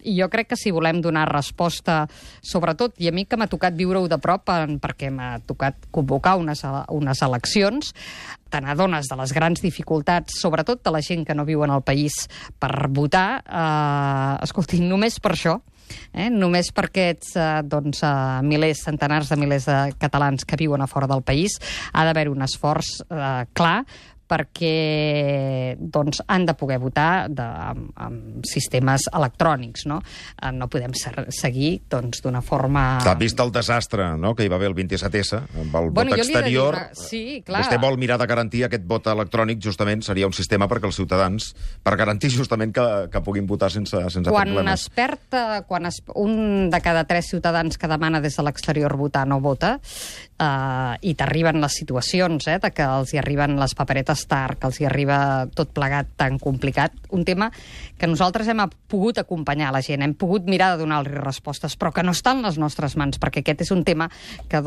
I jo crec que si volem donar resposta, sobretot, i a mi que m'ha tocat viure-ho de prop, perquè m'ha tocat convocar unes eleccions, te n'adones de les grans dificultats, sobretot de la gent que no viu en el país, per votar, escolti, només per això, només per aquests milers, centenars de milers de catalans que viuen a fora del país, ha d'haver un esforç clar perquè han de poder votar amb sistemes electrònics, no? No podem seguir d'una forma... T'ha vist el desastre, no?, que hi va haver el 27S, amb el vot exterior. Sí, clar. Vostè vol mirar de garantir aquest vot electrònic, justament, seria un sistema perquè els ciutadans, per garantir justament que puguin votar sense problemes. Quan un de cada 3 ciutadans que demana des de l'exterior votar no vota, i t'arriben les situacions, de que els hi arriben les paperetes tard, que els hi arriba tot plegat tan complicat, un tema que nosaltres hem pogut acompanyar la gent, hem pogut mirar de donar-li respostes, però que no està en les nostres mans, perquè aquest és un tema que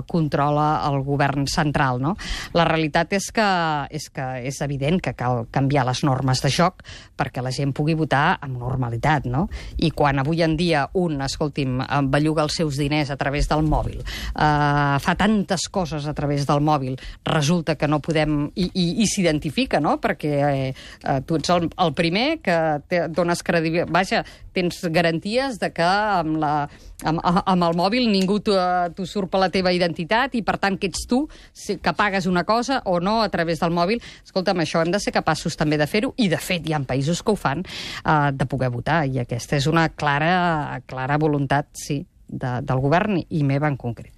controla el govern central, no? La realitat és que és evident que cal canviar les normes de joc perquè la gent pugui votar amb normalitat, no? I quan avui en dia belluga els seus diners a través del mòbil, fa tantes coses a través del mòbil, resulta que no podem... I s'identifica, no? Perquè tu ets el primer que dones credibilitat... Vaja, tens garanties de que amb el mòbil ningú t'usurpa la teva identitat i, per tant, que ets tu, que pagues una cosa o no a través del mòbil. Escolta'm, això hem de ser capaços també de fer-ho, i, de fet, hi ha països que ho fan, de poder votar, i aquesta és una clara voluntat, sí, del govern i meva en concret.